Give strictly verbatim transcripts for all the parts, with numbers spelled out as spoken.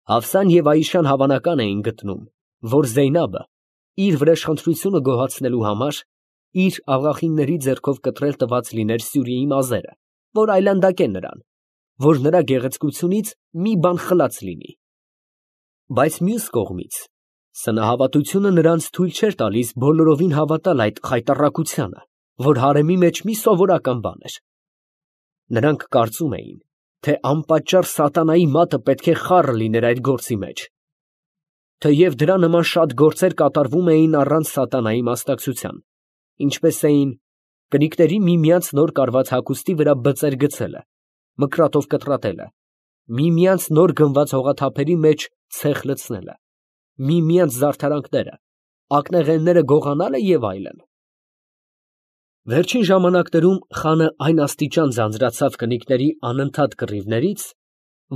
Հաֆսան և Այիշան հավանական էին գտնում, որ Զեյնաբը իր վրեժխնդրությունը գոհացնելու համար իր աղախինների ձեռքով կտրել տված լիներ Սյուրիի մազերը, որ այլանդակե նրան, որ նրա գեղեցկությունից մի բան խլած լինի. բայց մյուս կողմից, սնահավատությունը նրանց թույլ չէր տալիս բոլորովին հավատալ այդ խայտառակությանը, որ հարեմի մեջ մի սովորական բան էր. նրանք կարծում էին, թե անպատճառ սատանայի մատը պետք է խառը լիներ այդ գործի մեջ, թեև դրա նման շատ գործեր կատարվում էին առանց սատանայի մասնակցության, ինչպես էին կնիկների միմյանց նոր կարված հագուստի վրա բծեր գցելը, մկրատով կտրատելը, միմյանց նոր գնված հողաթափերի մեջ ցեխ լցնելը, միմյանց զարդարանքները, ակնեղենները գողանալը և այլն։ Վերջին ժամանակներում խանը այն աստիճան ձանձրացավ կնիկների անընդհատ կռիվներից,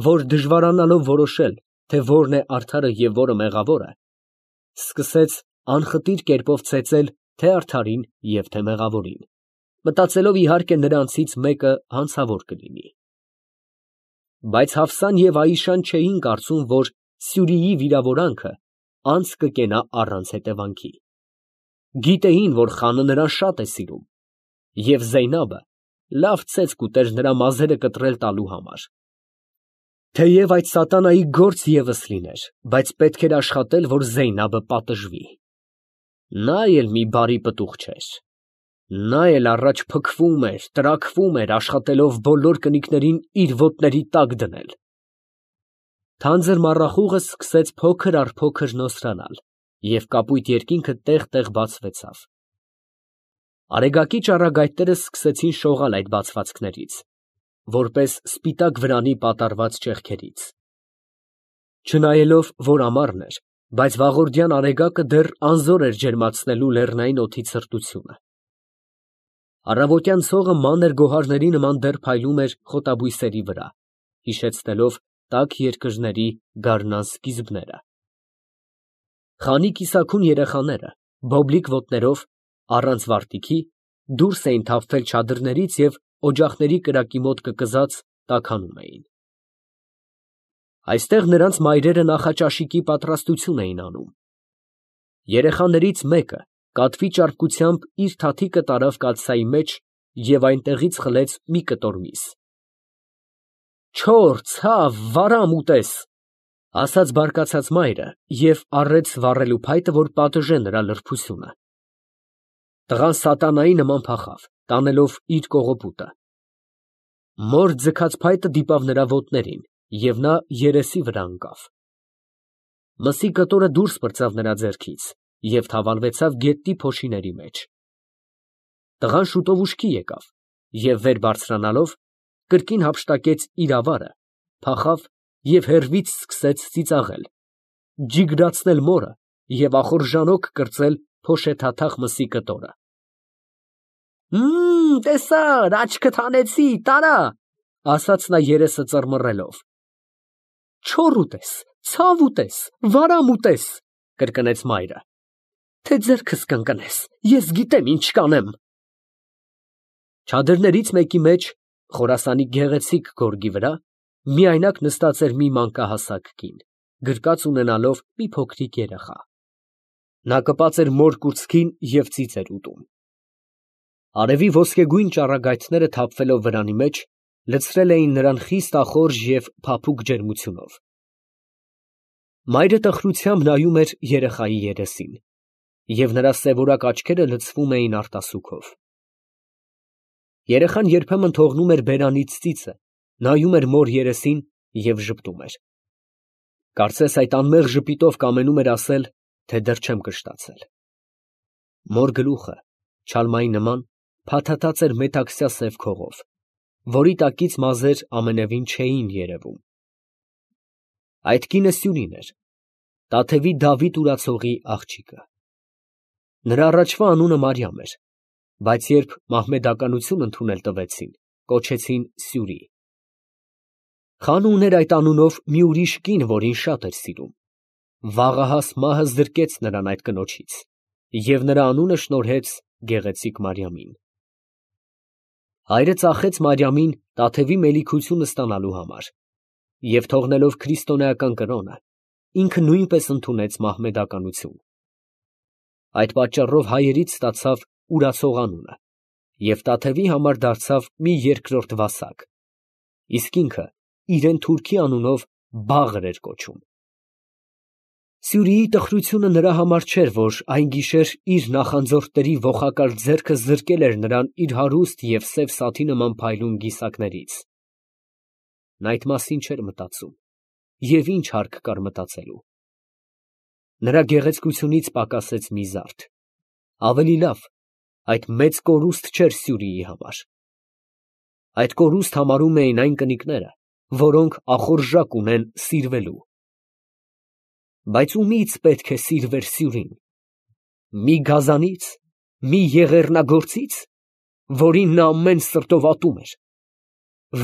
որ դժվարանալով որոշել, թե որն է արդարը և որը մեղավորը, սկսեց անխտիր կերպով ծեծել թե արդարին և թե մեղավորին, մտածելով իհարկե նրանցից մեկը հանցավոր կլինի։ Բայց Հաֆսան և Այիշան չէին կարծում, որ Սյուրիի վիրավորանքը անց կկենա առանց հետևանքի. գիտեին, որ խանը նրան շատ է սիրում, և Զեյնաբը լավ ցեցկ կուտեր նրա մազերը կտրել տալու համար։ Թեև այդ սատանայի գործ ևս լիներ, բայց պետք էր աշխատել, որ Զեյնաբը պատժվի։ Նա էլ մի բարի պտուղ չէր. նա էլ առաջ փքվում էր, տրաքվում էր, աշխատելով բոլոր կնիկներին իր ոտների տակ դնել։ Թանձր մառախուղը սկսեց փոքր առ փոքր նոսրանալ, և կապույտ երկինքը տեղ֊տեղ բացվեցավ։ Արեգակի ճառագայթները սկսեցին շողալ այդ բացվածքներից, որպես սպիտակ վրանի պատառված ճեղքերից։ Չնայելով, որ ամառն էր, բայց վաղորդյան արեգակը դեռ անզոր էր ջերմացնելու լեռնային օդի ցրտությունը։ Առավոտյան ցողը մանր գոհարների նման դեռ փայլում էր խոտաբույսերի վրա, հիշեցնելով տաք երկրների գարնան սկիզբները։ Խանի կիսաքուն երեխաները, բոբլիկ ոտներով, առանց վարտիքի, դուրս էին թափվել չադրներից և օջախների կրակի մոտ կկզած, տաքանում էին։ Այստեղ նրանց մայրերը նախաճաշիկի պատրաստություն էին անում։ Երեխաներից մեկը կատվի ճարպկությամբ իր թաթիկը տարավ կաթսայի մեջ և այնտեղից խլեց մի կտոր միս։ «Չոր, ցավ, վարամ ուտես», ֊ ասաց բարկացած մայրը և առեց վառելու փայտը, որ պատժե նրա լրբությունը։ Տղան սատանայի նման փախավ, տանելով իր կողոպուտը։ Մոր ձգած փայտը դիպավ նրա ոտներին, և նա երեսի վրա ընկավ։ Մսի կտորը դուրս պրծավ նրա ձեռքից և թավալվեցավ գետնի փոշիների մեջ։ Տղան շուտով ուշքի եկավ և վեր բարձրանալով, կրկին հափշտակեց իր ավարը, փախավ և հեռվից սկսեց ծիծաղել, ջիգրացնել մորը և ախորժանոք կրծել փոշեթաթախ մսի կտորը։ «Մմ, տեսա՞ր, աչքդ հանեցի, տարա», ֊ ասաց նա երեսը ծռմռելով։ «Չոր ուտես, ցավ ուտես, վարամ ուտես», ֊ կրկնեց մայրը, «թե ձեռքս կընկնես, ես գիտեմ ինչ կանեմ»։ Չադրներից մեկի մեջ, Խորասանի գեղեցիկ գորգի վրա, միայնակ նստած էր մի մանկահասակ կին, գրկած ունենալով մի փոքրիկ երեխա։ Նա կպած էր մոր կուրծքին և ծիծ էր ուտում։ Արևի ոսկեգույն ճառագայթները թափվելով վրանի մեջ, լցրել էին նրան խիստ ախորժ և փափուկ ջերմությունով։ Մայրը տխրությամբ նայում էր երեխայի երեսին, և նրա սևորակ աչքերը լցվում էին արտասուքով։ Երեխան երբեմն թողնում էր բերանից ծիծը, նայում էր մոր երեսին և ժպտում էր։ Կարծես այդ անմեղ ժպիտով կամենում էր ասել, թե դեռ չեմ կշտացել։ Մոր գլուխը, չալմայի նման, փաթաթած էր մետաքսյա սև քողով, որի տակից մազեր ամենևին չէին երևում։ Այդ կինը Սյուրին էր, Տաթևի Դավիթ ուրացողի աղջիկը։ Նրա առաջվա անունը Մարիամ էր, բայց երբ մահմեդականություն ընդունել տվեցին, կոչեցին Սյուրի։ Խանը ուներ այդ անունով մի ուրիշ կին, որին շատ էր սիրում։ Վաղահաս մահը զրկեց նրան այդ կնոջից, և նրա անունը շնորհեց գեղեցիկ Մարիամին։ Հայրը ծախեց Մարիամին Տաթևի մելիքությունը ստանալու համար, և թողնելով քրիստոնեական կրոնը, ինքը նույնպես ընդունեց մահմեդականություն։ Այդ պատճառով հայերից ստացավ ուրացող անունը և Տաթևի համար դարձավ մի երկրորդ Վասակ, իսկ ինքը իրեն թուրքի անունով Բաղր էր կոչում։ Սյուրիի տխրությունը նրա համար չէր, որ այն գիշեր իր նախանձորդների ոխակալ ձեռքը զրկել էր նրան իր հարուստ և սև սաթի նման փայլուն գիսակներից. նա այդ մասին չէր մտածում, և ինչ հարկ կար մտածելու։ Նրա գեղեցկությունից պակասեց մի զարդ, ավելի լավ, այդ մեծ կորուստ չէր Սյուրիի համար։ Այդ կորուստ համարում էին այն կնիկները, որոնք ախորժակ ունեն սիրվելու։ Բայց ումի՞ց պետք է սիրվեր Սյուրին։ Մի գազանի՞ց, մի եղեռնագործի՞ց, որին նա ամեն սրտով ատում էր,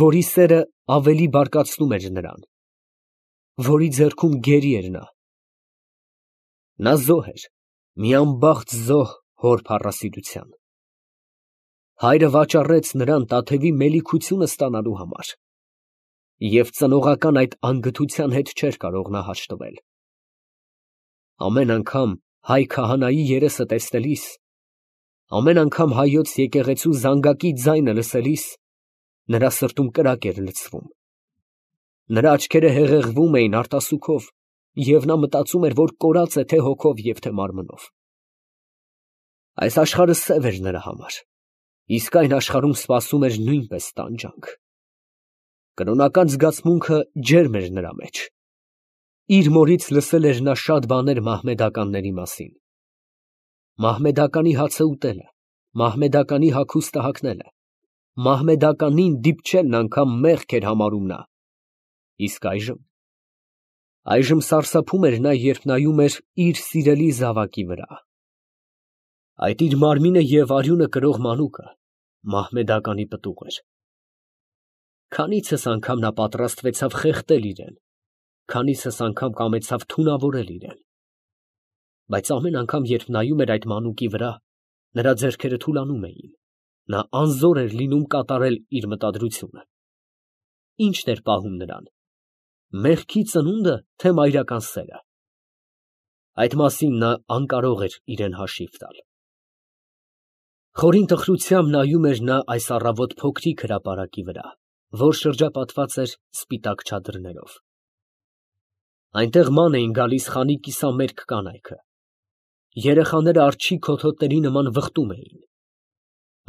որի սերը ավելի բարկացնում էր նրան, որի ձեռքում գերի էր նա։ Նա զոհ էր, մի անբախտ զոհ հոր փառասիրության։ Հայրը վաճառեց նրան Տաթևի մելիքությունը ստանալու համար, և ծնողական այդ անգթության հետ չէր կարող նա հաշտվել։ Ամեն անգամ հայ քահանայի երեսը տեսնելիս, ամեն անգամ հայոց եկեղեցու զանգակի ձայնը լսելիս, նրա սրտում կրակ էր լցվում, նրա աչքերը հեղեղվում էին արտասուքով, և նա մտածում էր, որ կորած է թե հոգով և թե մարմնով։ Այս աշխարհը սև էր նրա համար, իսկ այն աշխարհում սպասում էր նույնպես տանջանք։ Կրոնական զգացմունքը ջերմ էր նրա մեջ։ Իր մորից լսել էր նա շատ բաներ մահմեդականների մասին. մահմեդականի հացը ուտելը, մահմեդականի հագուստը հագնելը, մահմեդականին դիպչելն անգամ մեղք էր համարում նա։ Իսկ այժմ… այժմ սարսափում էր նա, երբ նայում էր իր սիրելի զավակի վրա։ Այդ իր մարմինը և արյունը կրող մանուկը մահմեդականի պտուղ էր։ Քանիցս անգամ նա պատրաստվեցավ խեղդել իրեն, քանիցս անգամ կամեցավ թունավորել իրեն։ Բայց ամեն անգամ, երբ նայում էր այդ մանուկի վրա, նրա ձեռքերը թուլանում էին, նա անզոր էր լինում կատարել իր մտադրությունը։ Ի՞նչն էր պահում նրան, մեղքի ծնո՞ւնդը, թե մայրական սերը։ Այդ մասին նա անկարող էր իրեն հաշիվ տալ։ Խորին տխրությամբ նայում էր նա այս առավոտ փոքրիկ հրապարակի վրա, որ շրջապատված էր սպիտակ չադրներով։ Այնտեղ ման էին գալիս խանի կիսամերկ կանայքը։ Երեխաները արջի քոթոտների նման վխտում էին։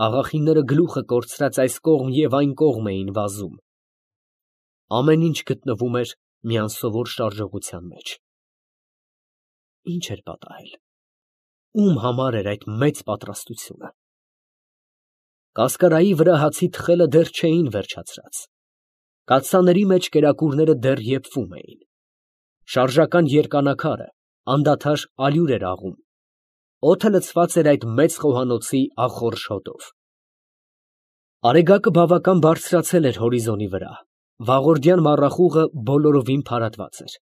Աղախինները գլուխը կորցրած այս կողմ և այն կողմ էին վազում։ Ամեն ինչ գտնվում էր մի անսովոր շարժողության մեջ։ Ի՞նչ էր պատահել։ Ո՞ւմ համար էր այդ մեծ պատրաստությունը։ Կասկարայի վրա հացի թխելը դեռ չէին վերջացրած։ Կաթսաների մեջ կերակուրները դեռ եփվում էին։ Շարժական երկանակարը անդադար ալյուր էր աղում։ Օդը լցված էր այդ մեծ խոհանոցի ախորժ հոտով։ Արեգակը բավական բարձրացել էր հորիզոնի վրա, վաղորդյան մառախուղը բոլորովին փարատված էր։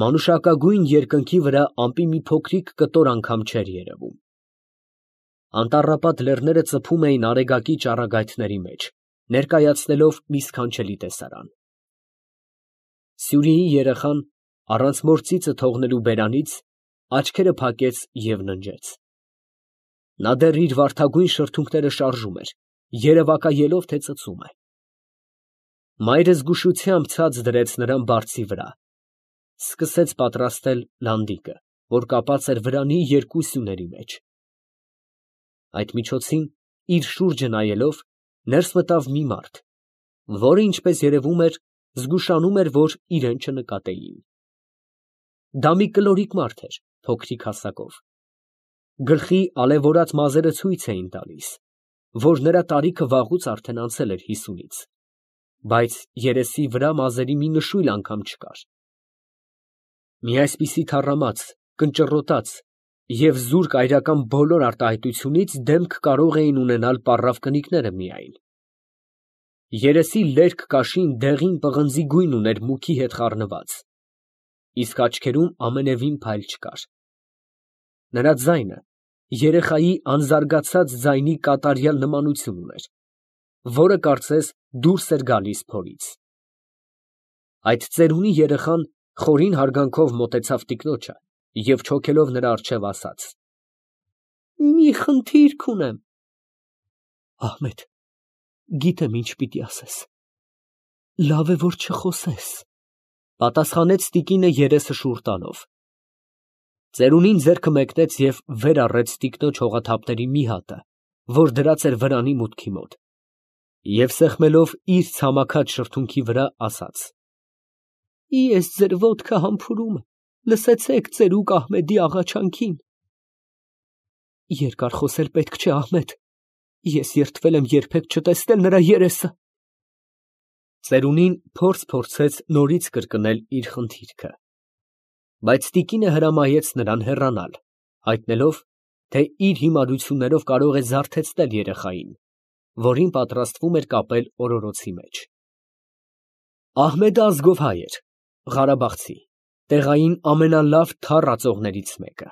Մանուշակագույն երկնքի վրա ամպի մի փոքրիկ կտոր անգամ չէր երևում։ Անտառապատ լեռները ծփում էին արեգակի ճառագայթների մեջ, ներկայացնելով մի սքանչելի տեսարան։ Սյուրիի երեխան, առանց մոր ծիծը թողնելու բերանից, աչքերը փակեց և ննջեց։ Նա դեռ իր վարդագույն շրթունքները շարժում էր, երևակայելով, թե ծծում է։ Մայրը զգուշությամբ ցած դրեց նրան բարձի վրա, սկսեց պատրաստել լանդիկը, որ կապած էր վրանի երկու սյուների մեջ։ Այդ միջոցին, իր շուրջը նայելով, ներս մտավ մի մարդ, որը, ինչպես երևում էր, զգուշանում էր, որ իրան չնկատեին։ Դա մի կլորիկ մարդ էր, փոքրիկ հասակով։ Գլխի ալևորած մազերը ցույց էին տալիս, որ նրա տարիքը վաղուց արդեն անցել էր հիսունից, բայց երեսի վրա մազերի մի նշույլ անգամ չկար։ Մի այսպիսի թառամած, կնճռոտած և զուրկ այրական բոլոր արտահայտությունից դեմք կարող էին ունենալ պառավ կնիկները միայն։ Երեսի լերկ կաշին դեղին պղնձի գույն ուներ մուքի հետ խառնված, իսկ աչքերում ամենևին փայլ չկար։ Նրա ձայնը երեխայի անզարգացած ձայնի կատարյալ նմանություն ուներ, որը կարծես դուրս էր գալիս փորից։ Այդ ծերունի երեխան խորին հարգանքով մոտեցավ տիկնոջը և չոքելով նրա առջև ասաց. «Մի խնդիրք ունեմ»։ Ահմեդ, գիտեմ ինչ պիտի ասես, լավ է, որ չխոսես, պատասխանեց տիկինը երեսը շուռ տալով։ Ծերունին ձեռքը մեկնեց և վեր առեց տիկնոջ հողաթափների մի հատը, որ դրած էր վրանի մուտքի մոտ, և սեղմելով իր ցամաքած շրթունքի վրա, ասաց. «Ես ձեր ոտքը համբուրում եմ, լսեցեք ծերուկ Ահմեդի աղաչանքին»։ Երկար խոսել պետք չէ, Ահմեդ, ես երդվել եմ երբեք չտեսնել նրա երեսը։ Ծերունին փորձ փորձեց նորից կրկնել իր խնդիրքը, բայց տիկինը հրամայեց նրան հեռանալ, հայտնելով, թե իր հիմարություններով կարող է զարթեցնել երեխային, որին պատրաստվում էր կապել օրորոցի մեջ։ Ահմեդը ազգով հայ էր, ղարաբաղցի, տեղային ամենալավ թառ ածողներից մեկը։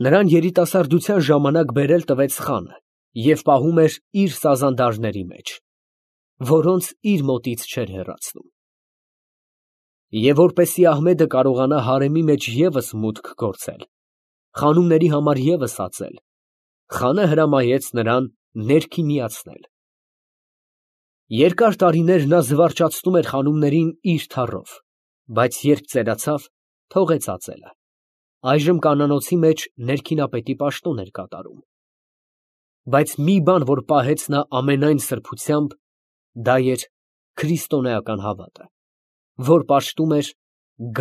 Նրան երիտասարդության ժամանակ բերել տվեց խանը և պահում էր իր սազանդարների մեջ, որոնց իր մոտից չէր հեռացնում։ Եվ որպեսզի Ահմեդը կարողանա հարեմի մեջ ևս մուտք գործել, խանումների համար ևս ածել, խանը հրամայեց նրան ներքինիացնել։ Երկար տարիներ նա զվարճացնում էր խանումներին իր թառով, բայց երբ ծերացավ, թողեց ածելը, այժմ կանանոցի մեջ ներքինապետի պաշտոն էր կատարում։ Բայց մի բան, որ պահեց նա ամենայն սրբությամբ, դա էր քրիստոնեական հավատը, որ պաշտում էր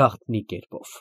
գաղտնի կերպով։